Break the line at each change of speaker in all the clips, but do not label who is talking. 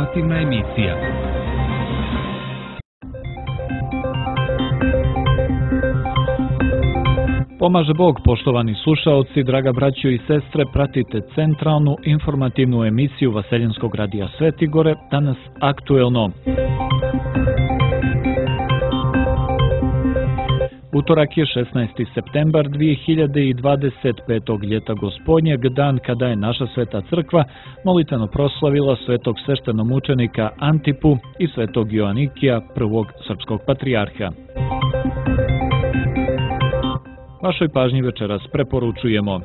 Informativna emisija. Pomaže Bog, poštovani slušaoci, draga braćo i sestre, pratite centralnu informativnu emisiju Vaseljenskog radija Sveti Gore, danas aktuelno. Utorak je 16. septembar 2025. ljeta gospodnjeg, dan kada je naša sveta crkva molitveno proslavila svetog sveštenomučenika Antipu i svetog Joanikija, prvog srpskog patrijarha. Vašoj pažnji večeras preporučujemo: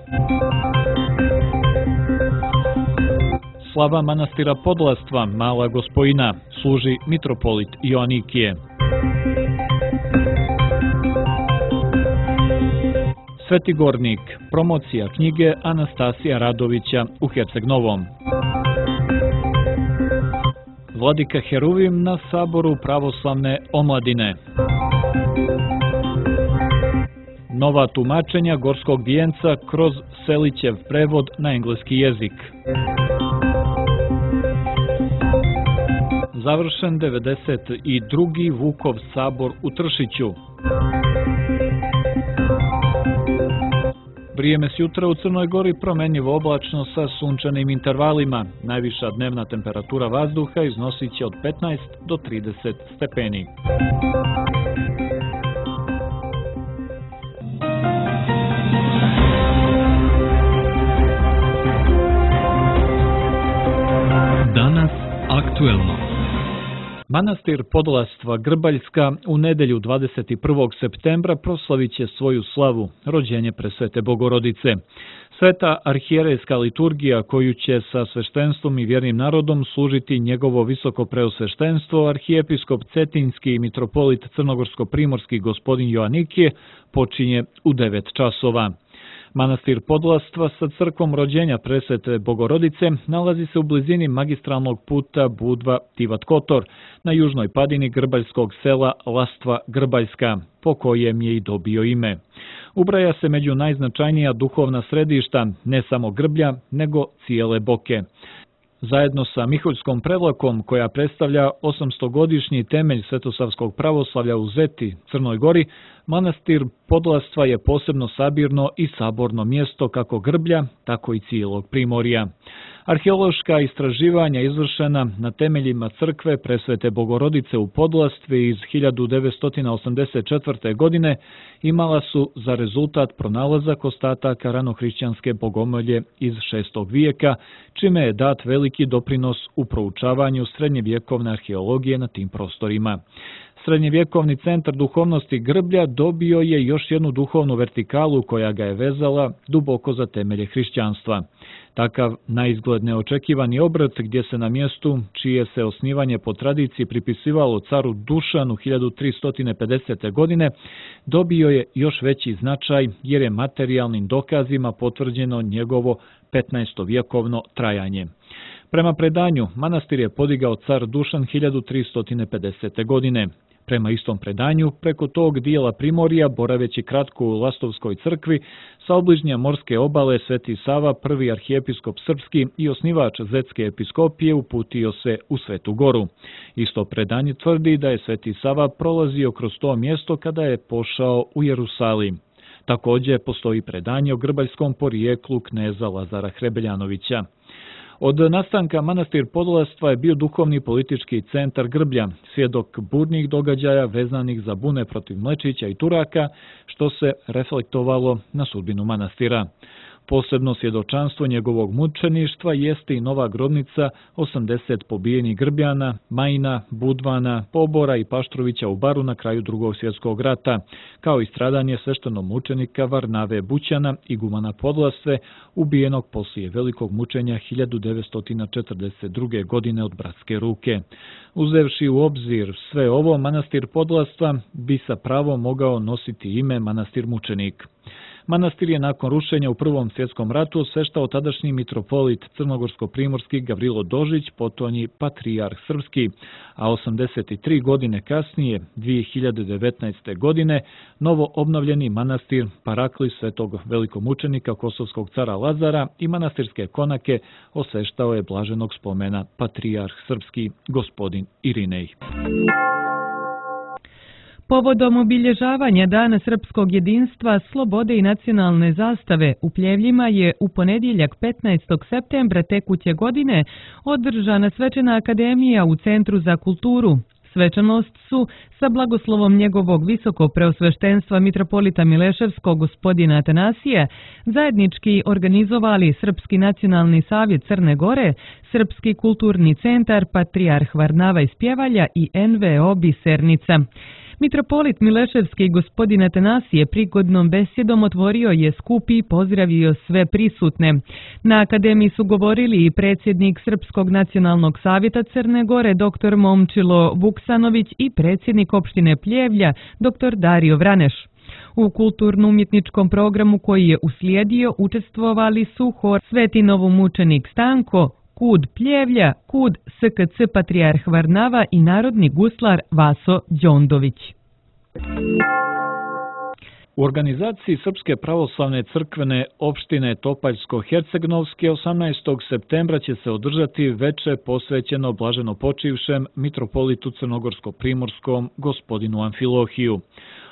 slava manastira Podlastva, Mala Gospojina, služi mitropolit Joanikije. Sveti Gornik, promocija knjige Anastasija Radovića u Herceg Novom. Vladika Heruvim na saboru pravoslavne omladine. Nova tumačenja Gorskog vijenca kroz Selićev prevod na engleski jezik. Završen 92. Vukov sabor u Tršiću. Vrijeme s jutra u Crnoj Gori promjenjivo oblačno sa sunčanim intervalima. Najviša dnevna temperatura vazduha iznosit će od 15 do 30 stepeni. Danas aktuelno. Manastir Podlastva Grbaljska u nedjelju 21. septembra proslavit će svoju slavu, rođenje presvete Bogorodice. Sveta arhijerejska liturgija koju će sa sveštenstvom i vjernim narodom služiti njegovo visoko preosveštenstvo, arhijepiskop Cetinjski i mitropolit Crnogorsko-primorski gospodin Joanikije, počinje u 9 časova. Manastir Podlastva sa crkvom rođenja presvete Bogorodice nalazi se u blizini magistralnog puta Budva-Tivat Kotor, na južnoj padini grbaljskog sela Lastva Grbaljska, po kojem je i dobio ime. Ubraja se među najznačajnija duhovna središta, ne samo Grblja, nego cijele Boke. Zajedno sa Miholjskom prevlakom, koja predstavlja 800-godišnji temelj svetosavskog pravoslavlja u Zeti, Crnoj Gori, manastir Podlastva je posebno sabirno i saborno mjesto kako Grblja, tako i cijelog Primorja. Arheološka istraživanja izvršena na temeljima crkve presvete Bogorodice u Podlastvi iz 1984. godine imala su za rezultat pronalazak ostataka ranohrišćanske bogomolje iz 6. vijeka, čime je dat veliki doprinos u proučavanju srednjevjekovne arheologije na tim prostorima. Srednjevjekovni centar duhovnosti Grblja dobio je još jednu duhovnu vertikalu koja ga je vezala duboko za temelje hrišćanstva. Takav naizgled neočekivani obrt, gdje se na mjestu čije se osnivanje po tradiciji pripisivalo caru Dušanu 1350. godine, dobio je još veći značaj jer je materijalnim dokazima potvrđeno njegovo 15-vjekovno trajanje. Prema predanju, manastir je podigao car Dušan 1350. godine. Prema istom predanju, preko tog dijela Primorja, boraveći kratko u Lastovskoj crkvi, sa obližnja morske obale Sveti Sava, prvi arhijepiskop srpski i osnivač Zetske episkopije, uputio se u Svetu Goru. Isto predanje tvrdi da je Sveti Sava prolazio kroz to mjesto kada je pošao u Jerusalim. Također postoji predanje o grbaljskom porijeklu kneza Lazara Hrebeljanovića. Od nastanka manastir Podlastva je bio duhovni politički centar Grblja, svjedok burnih događaja vezanih za bune protiv Mlečića i Turaka, što se reflektovalo na sudbinu manastira. Posebno svjedočanstvo njegovog mučeništva jeste i nova grobnica 80 pobijenih Grbljana, Majina, Budvana, Pobora i Paštrovića u Baru na kraju Drugog svjetskog rata, kao i stradanje sveštenomučenika Varnave Bućana, igumana Podlastve, ubijenog poslije velikog mučenja 1942. godine od bratske ruke. Uzevši u obzir sve ovo, manastir Podlastva bi sa pravom mogao nositi ime manastir mučenik. Manastir je nakon rušenja u Prvom svjetskom ratu osveštao tadašnji mitropolit crnogorsko-primorski Gavrilo Dožić, potonji patrijarh srpski, a 83 godine kasnije, 2019. godine, novo obnovljeni manastir Parakli svetog velikomučenika kosovskog cara Lazara i manastirske konake osveštao je blaženog spomena patrijarh srpski gospodin Irinej.
Povodom obilježavanja Dana srpskog jedinstva, slobode i nacionalne zastave u Pljevljima je u ponedjeljak 15. septembra tekuće godine održana svečana akademija u Centru za kulturu. Svečanost su, sa blagoslovom njegovog visoko preosveštenstva mitropolita Mileševskog gospodina Atanasije, zajednički organizovali Srpski nacionalni savjet Crne Gore, Srpski kulturni centar Patrijarh Varnava iz Pjevalja i NVO Bisernica. Mitropolit Mileševski gospodin Atanasije prigodnom besjedom otvorio je skup i pozdravio sve prisutne. Na akademiji su govorili i predsjednik Srpskog nacionalnog savjeta Crne Gore dr. Momčilo Vuksanović i predsjednik opštine Pljevlja dr. Dario Vraneš. U kulturno-umjetničkom programu koji je uslijedio učestvovali su hor Sveti novomučenik Stanko, KUD Pljevlja, KUD SKC Patrijarh Varnava i narodni guslar Vaso Đondović.
U organizaciji Srpske pravoslavne crkvene opštine Topaljsko-Hercegnovske 18. septembra će se održati veče posvećeno blaženo počivšem mitropolitu crnogorsko-primorskom gospodinu Amfilohiju.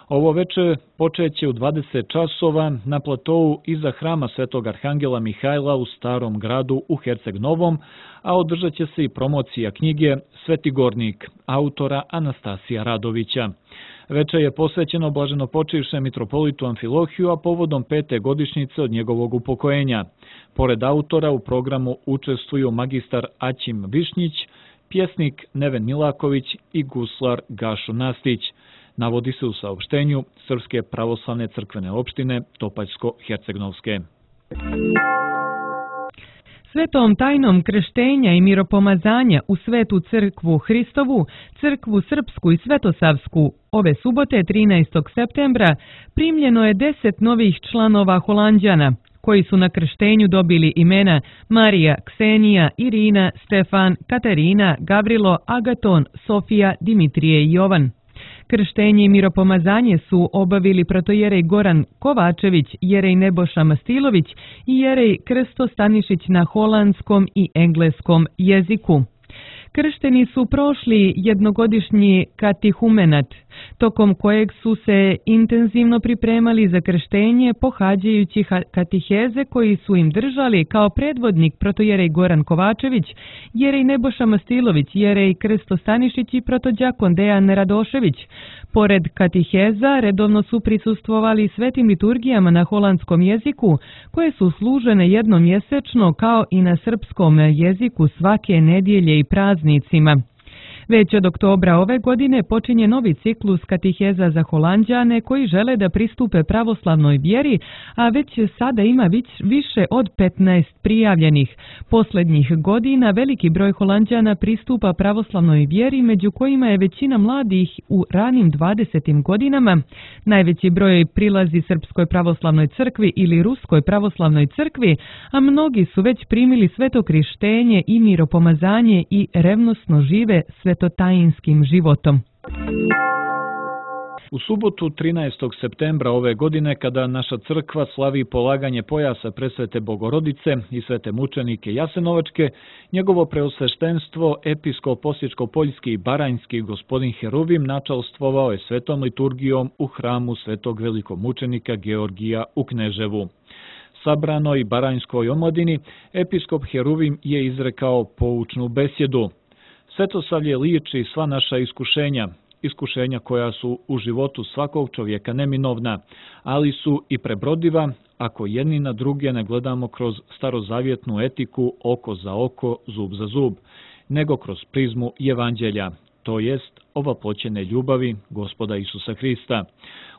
Ovo veče počeće u 20 časova na platovu iza hrama Svetog Arhangela Mihajla u Starom gradu u Herceg Novom, a održat će se i promocija knjige Sveti Gornik, autora Anastasija Radovića. Veče je posvećeno blaženo počivšem mitropolitu Amfilohiju, a povodom 5. godišnjice od njegovog upokojenja. Pored autora u programu učestvuju magistar Aćim Višnjić, pjesnik Neven Milaković i guslar Gašo Nastić. Navodi se u saopštenju Srpske pravoslavne crkvene opštine Topaljsko-Hercegnovske.
Svetom tajnom krštenja i miropomazanja u Svetu crkvu Hristovu, crkvu Srpsku i Svetosavsku, ove subote 13. septembra primljeno je 10 novih članova Holanđana, koji su na krštenju dobili imena Marija, Ksenija, Irina, Stefan, Katarina, Gavrilo, Agaton, Sofija, Dimitrije i Jovan. Krštenje i miropomazanje su obavili protojerej Goran Kovačević, jerej Neboša Mastilović i jerej Krsto Stanišić na holandskom i engleskom jeziku. Kršteni su prošli jednogodišnji katehumenat, tokom kojeg su se intenzivno pripremali za krštenje pohađajući katiheze koji su im držali kao predvodnik protojerej Goran Kovačević, jerej Neboša Mastilović, jerej Krsto Stanišić i protođakon Dejan Radošević. Pored katiheza redovno su prisustvovali svetim liturgijama na holandskom jeziku, koje su služene jednom mjesečno kao i na srpskom jeziku svake nedjelje i praznicima. Već od oktobra ove godine počinje novi ciklus katiheza za Holanđane koji žele da pristupe pravoslavnoj vjeri, a već sada ima više od 15 prijavljenih. Posljednjih godina veliki broj Holanđana pristupa pravoslavnoj vjeri, među kojima je većina mladih u ranim 20. godinama. Najveći broj prilazi Srpskoj pravoslavnoj crkvi ili Ruskoj pravoslavnoj crkvi, a mnogi su već primili sveto krištenje i miropomazanje i revnosno žive svetotajinskim životom.
U subotu 13. septembra ove godine, kada naša crkva slavi polaganje pojasa presvete Bogorodice i svete mučenike Jasenovačke, njegovo preosveštenstvo episkop Osječko-Poljski i Baranjski gospodin Heruvim načalstvovao je svetom liturgijom u hramu svetog velikomučenika Georgija u Kneževu. Sabranoj baranjskoj omladini episkop Heruvim je izrekao poučnu besjedu. Svetosavlje liječi sva naša iskušenja koja su u životu svakog čovjeka neminovna, ali su i prebrodiva ako jedni na druge ne gledamo kroz starozavjetnu etiku oko za oko, zub za zub, nego kroz prizmu evanđelja, to jest ovaploćene ljubavi Gospoda Isusa Hrista.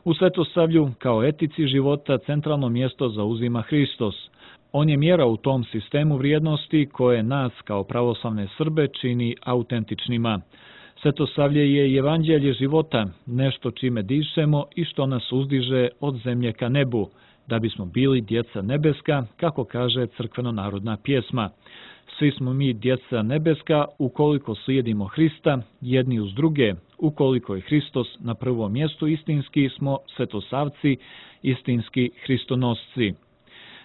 U Svetosavlju kao etici života centralno mjesto zauzima Hristos. On je mjera u tom sistemu vrijednosti koje nas kao pravoslavne Srbe čini autentičnima. Svetosavlje je evanđelje života, nešto čime dišemo i što nas uzdiže od zemlje ka nebu, da bismo bili djeca nebeska, kako kaže crkveno-narodna pjesma. Svi smo mi djeca nebeska ukoliko slijedimo Hrista jedni uz druge, ukoliko je Hristos na prvom mjestu, istinski smo svetosavci, istinski hristonosci.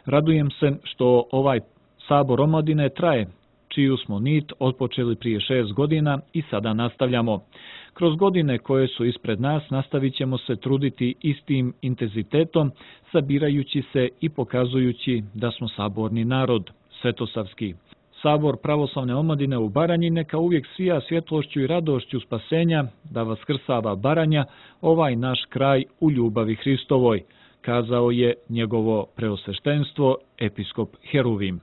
Radujem se što ovaj sabor omladine traje, čiju smo nit otpočeli prije 6 godina i sada nastavljamo. Kroz godine koje su ispred nas nastavit ćemo se truditi istim intenzitetom, sabirajući se i pokazujući da smo saborni narod, svetosavski. Sabor pravoslavne omladine u Baranji neka uvijek sija svjetlošću i radošću spasenja, da vaskrsava Baranja, ovaj naš kraj u ljubavi Hristovoj, kazao je njegovo preosveštenstvo, episkop Heruvim.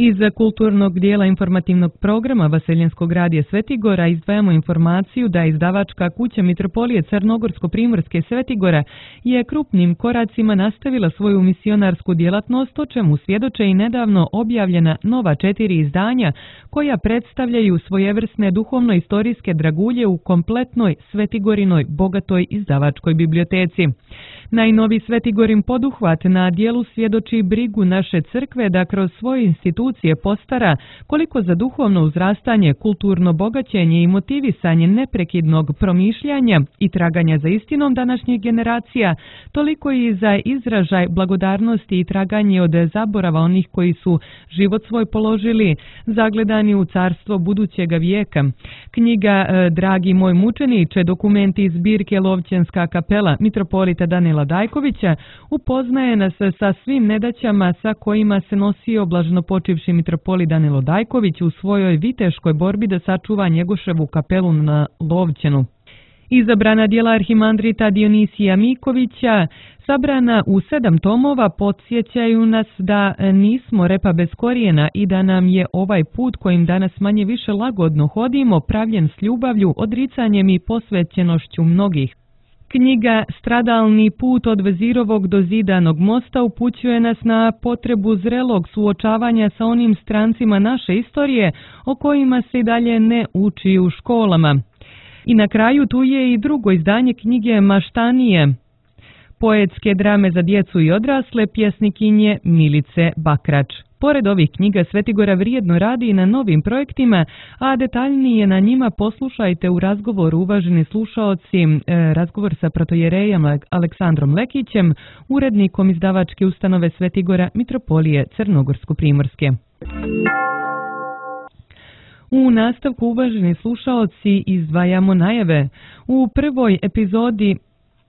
Iz kulturnog dijela informativnog programa Vaseljenskog radija Svetigora izdvajamo informaciju da izdavačka kuća Mitropolije Crnogorsko-Primorske Svetigora je krupnim koracima nastavila svoju misionarsku djelatnost, o čemu svjedoče i nedavno objavljena nova 4 izdanja koja predstavljaju svojevrsne duhovno-istorijske dragulje u kompletnoj Svetigorinoj bogatoj izdavačkoj biblioteci. Najnoviji Svetigorin poduhvat na dijelu svjedoči brigu naše crkve da kroz svoje institucije postara koliko za duhovno uzrastanje, kulturno bogaćenje i motivisanje neprekidnog promišljanja i traganja za istinom današnjih generacija, toliko i za izražaj blagodarnosti i traganje od zaborava onih koji su život svoj položili, zagledani u carstvo budućega vijeka. Knjiga Dragi moj mučeniče, dokumenti iz zbirke Lovćenska kapela mitropolita Danila Dajkovića upoznaje nas sa svim nedaćama sa kojima se nosio blaženopočivši mitropolit Danilo Dajković u svojoj viteškoj borbi da sačuva Njegoševu kapelu na Lovćenu. Izabrana djela arhimandrita Dionisija Mikovića, sabrana u 7 tomova, podsjećaju nas da nismo repa bez korijena i da nam je ovaj put kojim danas manje više lagodno hodimo pravljen s ljubavlju, odricanjem i posvećenošću mnogih. Knjiga Stradalni put od Vezirovog do Zidanog mosta upućuje nas na potrebu zrelog suočavanja sa onim strancima naše istorije o kojima se i dalje ne uči u školama. I na kraju tu je i drugo izdanje knjige Maštanije, poetske drame za djecu i odrasle, pjesnikinje Milice Bakrač. Pored ovih knjiga Svetigora vrijedno radi i na novim projektima, a detaljnije na njima poslušajte u razgovoru, uvaženi slušaoci, razgovor sa protojerejem Aleksandrom Lekićem, urednikom izdavačke ustanove Svetigora Mitropolije Crnogorsko-Primorske. U nastavku, uvaženi slušaoci, izdvajamo najave. U prvoj epizodi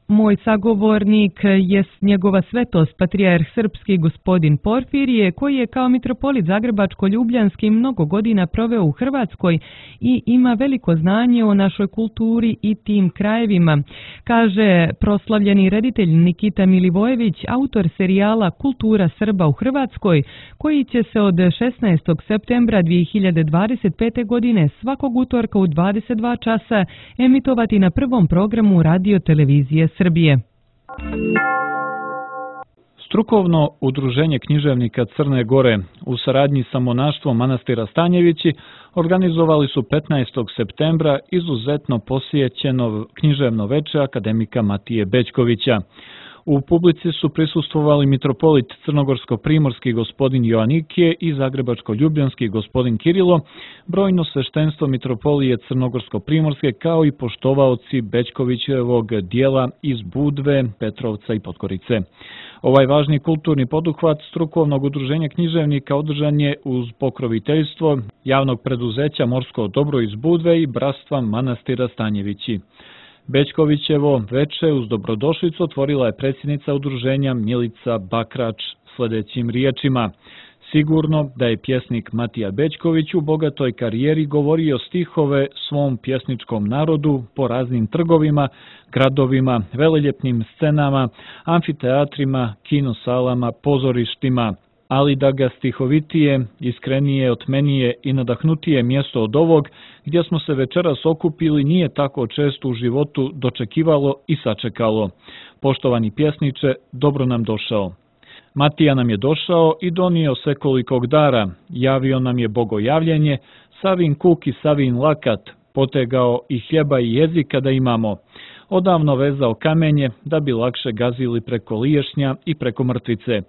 moj sagovornik je njegova svetost patrijarh srpski gospodin Porfirije, koji je kao mitropolit Zagrebačko-Ljubljanski mnogo godina proveo u Hrvatskoj i ima veliko znanje o našoj kulturi i tim krajevima, kaže proslavljeni reditelj Nikita Milivojević, autor serijala Kultura Srba u Hrvatskoj, koji će se od 16. septembra 2025. godine svakog utorka u 22 časa emitovati na prvom programu radio televizije Srbije.
Strukovno udruženje književnika Crne Gore u saradnji sa monaštvom manastira Stanjevići organizovali su 15. septembra izuzetno posjećeno književno veče akademika Matije Bećkovića. U publici su prisustvovali mitropolit Crnogorsko-Primorski gospodin Joanikije i Zagrebačko-Ljubljanski gospodin Kirilo, brojno sveštenstvo mitropolije Crnogorsko-Primorske kao i poštovaoci Bećkovićevog dijela iz Budve, Petrovca i Podgorice. Ovaj važni kulturni poduhvat strukovnog udruženja književnika održan je uz pokroviteljstvo javnog preduzeća Morsko dobro iz Budve i bratstva manastira Stanjevići. Bećkovićevo veče uz dobrodošlicu otvorila je predsjednica udruženja Milica Bakrač sljedećim riječima. Sigurno da je pjesnik Matija Bećković u bogatoj karijeri govorio stihove svom pjesničkom narodu po raznim trgovima, gradovima, veleljepnim scenama, amfiteatrima, kinosalama, pozorištima, ali da ga stihovitije, iskrenije, otmenije i nadahnutije mjesto od ovog, gdje smo se večeras okupili, nije tako često u životu dočekivalo i sačekalo. Poštovani pjesniče, dobro nam došao. Matija nam je došao i donio svekolikog dara, javio nam je bogojavljenje, savin kuk i savin lakat, potegao i hljeba i jezika da imamo. odavno vezao kamenje da bi lakše gazili preko Liješnja i preko Mrtvice.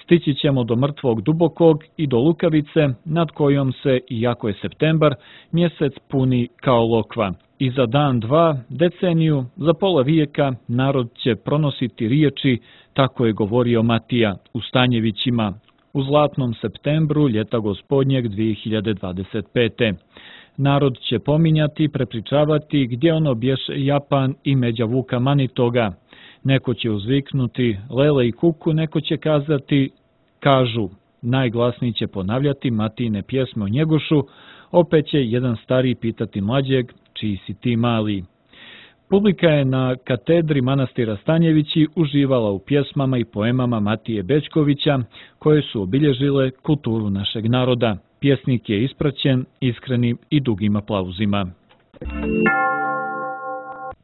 Stići ćemo do Mrtvog Dubokog i do Lukavice, nad kojom se, iako je septembar, mjesec puni kao lokva. I za dan, dva, deceniju, za pola vijeka narod će pronositi riječi, tako je govorio Matija u Stanjevićima, u zlatnom septembru ljeta gospodnjeg 2025. Narod će pominjati, prepričavati gdje ono bješe Japan i međa Vuka Manitoga. Neko će uzviknuti lele i kuku, neko će kazati kažu. Najglasniji će ponavljati Matijine pjesme o Njegošu, opet će jedan stariji pitati mlađeg čiji si ti mali. Publika je na katedri manastira Stanjevići uživala u pjesmama i poemama Matije Bećkovića, koje su obilježile kulturu našeg naroda. Pjesnik je ispraćen iskrenim i dugim aplauzima.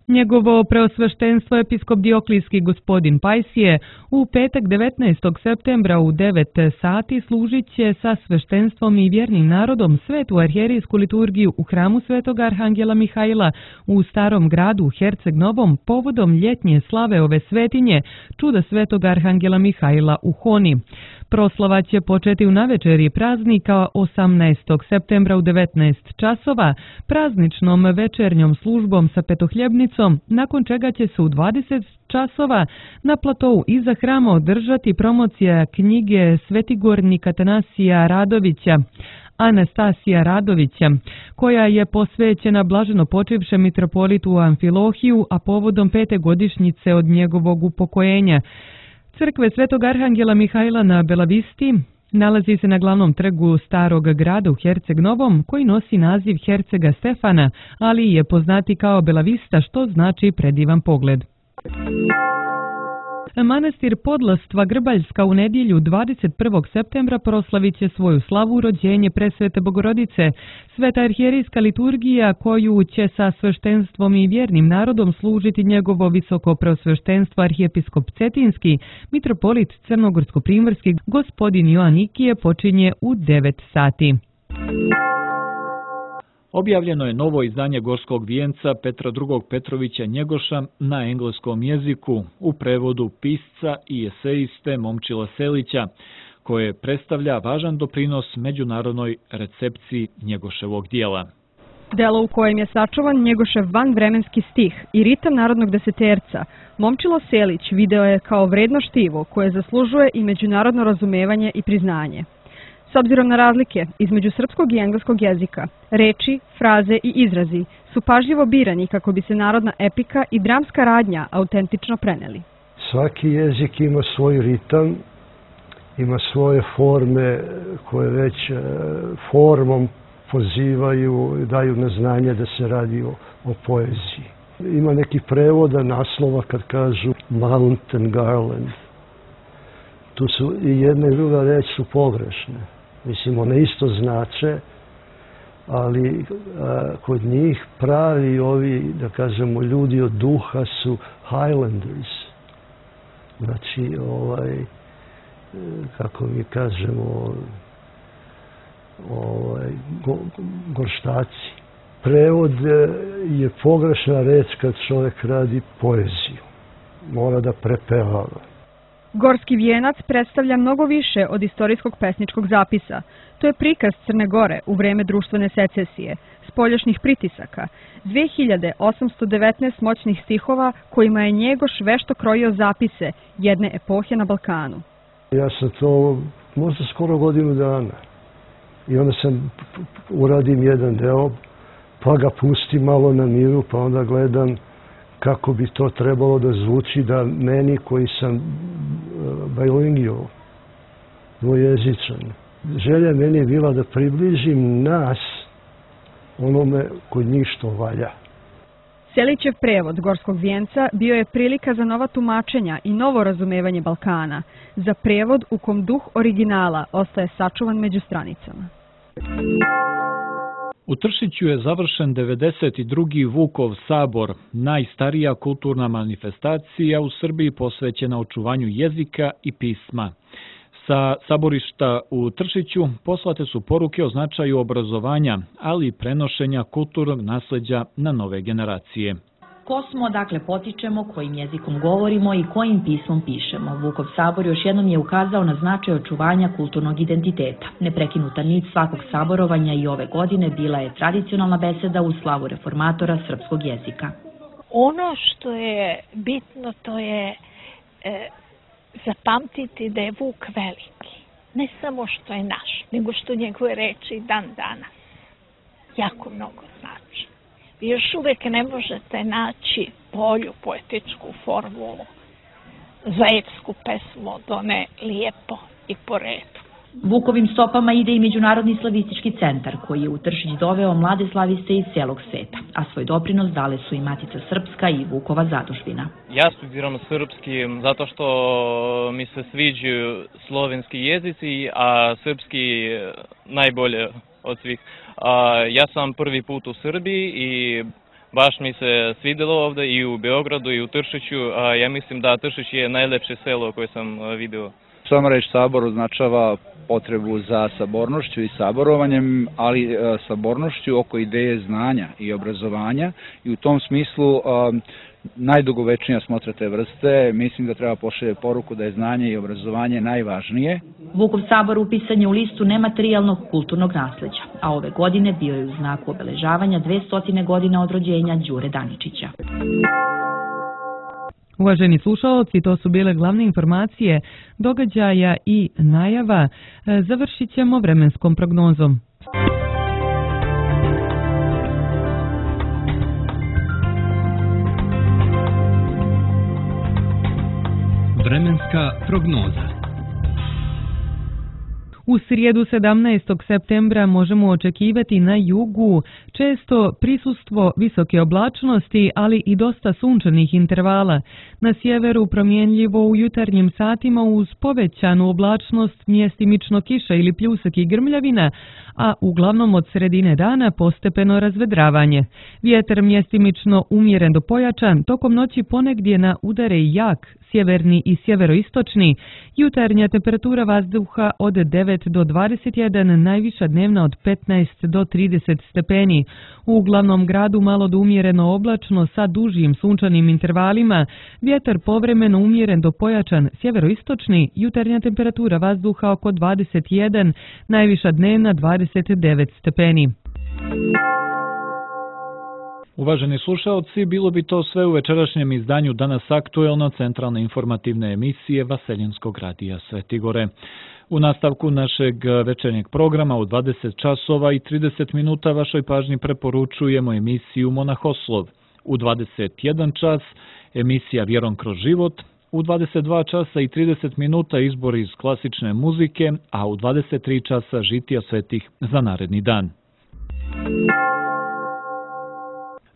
Njegovo preosveštenstvo episkop Dioklijski gospodin Pajsije u petak 19. septembra u 9 sati služit će sa sveštenstvom i vjernim narodom svetu arhijerijsku liturgiju u hramu Svetog Arhangela Mihajla u Starom gradu u Herceg Novom povodom ljetnje slave ove svetinje, čuda Svetog Arhangela Mihajla u Honi. Proslava će početi u navečerji praznika 18. septembra u 19 časova, prazničnom večernjom službom sa petohljebnicom, nakon čega će se u 20 časova na platovu iza hrama održati promocija knjige svetigornika Atanasija Radovića, Anastasija Radovića, koja je posvećena blaženo počivšem mitropolitu Amfilohiju, a povodom 5. godišnjice od njegovog upokojenja. Crkve Svetog Arhangela Mihajla na Belavisti nalazi se na glavnom trgu Starog grada u Herceg Novom, koji nosi naziv Hercega Stefana, ali je poznati kao Belavista, što znači predivan pogled. Manastir Podlastva Grbaljska u nedjelju 21. septembra proslavit će svoju slavu rođenje presvete Bogorodice. Sveta arhijerijska liturgija koju će sa sveštenstvom i vjernim narodom služiti njegovo visoko preosveštenstvo arhijepiskop Cetinski, mitropolit Crnogorsko-primorski gospodin Joan Ikije počinje u 9 sati.
Objavljeno je novo izdanje Gorskog vijenca Petra II. Petrovića Njegoša na engleskom jeziku u prevodu pisca i esejiste Momčila Selića, koje predstavlja važan doprinos međunarodnoj recepciji Njegoševog dijela.
Delo u kojem je sačuvan Njegošev vanvremenski stih i ritam narodnog deseterca, Momčilo Selić video je kao vredno štivo koje zaslužuje i međunarodno razumevanje i priznanje. S obzirom na razlike između srpskog i engleskog jezika, reči, fraze i izrazi su pažljivo birani kako bi se narodna epika i dramska radnja autentično preneli.
Svaki jezik ima svoj ritam, ima svoje forme koje već formom pozivaju i daju na znanje da se radi o poeziji. Ima neki prevoda naslova kad kažu Mountain Garland. Tu su i jedna i druga reč su pogrešne. Mislim, one isto znače, ali kod njih pravi ovi, da kažemo, ljudi od duha su Highlanders. Znači, kako mi kažemo, gorštaci. Prevod je pogrešna reč kad čovjek radi poeziju. Mora da prepevava.
Gorski vijenac predstavlja mnogo više od istorijskog pesničkog zapisa. To je prikaz Crne Gore u vreme društvene secesije, spoljašnjih pritisaka, 2819 moćnih stihova kojima je Njegoš vešto krojio zapise jedne epohe na Balkanu.
Ja sam to možda skoro godinu dana i onda uradim jedan deo, pa ga pustim malo na miru, pa onda gledam kako bi to trebalo da zvuči da meni koji sam bilingual, dvojezičan. Želja meni je bila da približim nas onome kod njih što valja.
Selićev prevod Gorskog vijenca bio je prilika za nova tumačenja i novo razumevanje Balkana, za prevod u kom duh originala ostaje sačuvan među stranicama.
U Tršiću je završen 92. Vukov sabor, najstarija kulturna manifestacija u Srbiji posvećena očuvanju jezika i pisma. Sa saborišta u Tršiću poslate su poruke o značaju obrazovanja, ali i prenošenja kulturnog nasleđa na nove generacije.
Ko smo, dakle potičemo, kojim jezikom govorimo i kojim pismom pišemo. Vukov sabor još jednom je ukazao na značaj očuvanja kulturnog identiteta. Neprekinuta nit svakog saborovanja i ove godine bila je tradicionalna beseda u slavu reformatora srpskog jezika.
Ono što je bitno, to je zapamtiti da je Vuk veliki. Ne samo što je naš, nego što njegove reči dan danas jako mnogo znači. Vi još uvek ne možete naći bolju poetičku formulu za epsku pesmu od one lijepo i po redu.
Vukovim stopama ide i Međunarodni slavistički centar, koji je u Tršić doveo mlade slaviste iz cijelog sveta, a svoj doprinos dale su i Matica Srpska i Vukova zadužbina.
Ja studiram srpski zato što mi se sviđaju slovenski jezici, a srpski najbolje od svih. Ja sam prvi put u Srbiji i baš mi se svidjelo ovdje i u Beogradu i u Tršiću. Ja mislim da Tršić je najlepše selo koje sam vidio.
Sama reč sabor označava potrebu za sabornošću i saborovanjem, ali sabornošću oko ideje znanja i obrazovanja i u tom smislu najdugovečnija smotra te vrste. Mislim da treba pošalje poruku da je znanje i obrazovanje najvažnije.
Vukov sabor upisan je u listu nematerijalnog kulturnog nasleđa, a ove godine bio je u znaku obeležavanja 200 godina od rođenja Đure Daničića.
Uvaženi slušaoci, to su bile glavne informacije događaja i najava. Završit ćemo vremenskom prognozom.
Vremenska prognoza.
U srijedu 17. septembra možemo očekivati na jugu često prisustvo visoke oblačnosti, ali i dosta sunčanih intervala. Na sjeveru promjenljivo u jutarnjim satima uz povećanu oblačnost, mjestimično kiša ili pljusak i grmljavina, a uglavnom od sredine dana postepeno razvedravanje. Vjetar mjestimično umjeren do pojačan, tokom noći ponegdje na udare jak, sjeverni i sjeveroistočni, jutarnja temperatura vazduha od 9 do 21, najviša dnevna od 15 do 30 stepeni. U glavnom gradu malo do umjereno oblačno sa dužim sunčanim intervalima, vjetar povremeno umjeren do pojačan sjeveroistočni, jutarnja temperatura vazduha oko 21, najviša dnevna 29 stepeni.
Uvaženi slušaoci, bilo bi to sve u večerašnjem izdanju Danas aktuelno centralne informativne emisije Vaseljenskog radija Svetigore. U nastavku našeg večernjeg programa u 20 časova i 30 minuta vašoj pažnji preporučujemo emisiju Monahoslov. U 21 čas emisija Vjerom kroz život, u 22 časa i 30 minuta izbor iz klasične muzike, a u 23 časa žitija svetih za naredni dan.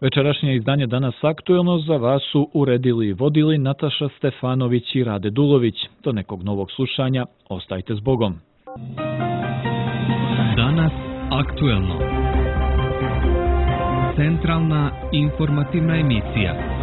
Večerašnje izdanje Danas aktuelno za vas su uredili i vodili Nataša Stefanović i Rade Dulović. Do nekog novog slušanja, ostajte s Bogom.
Danas aktuelno. Centralna informativna emisija.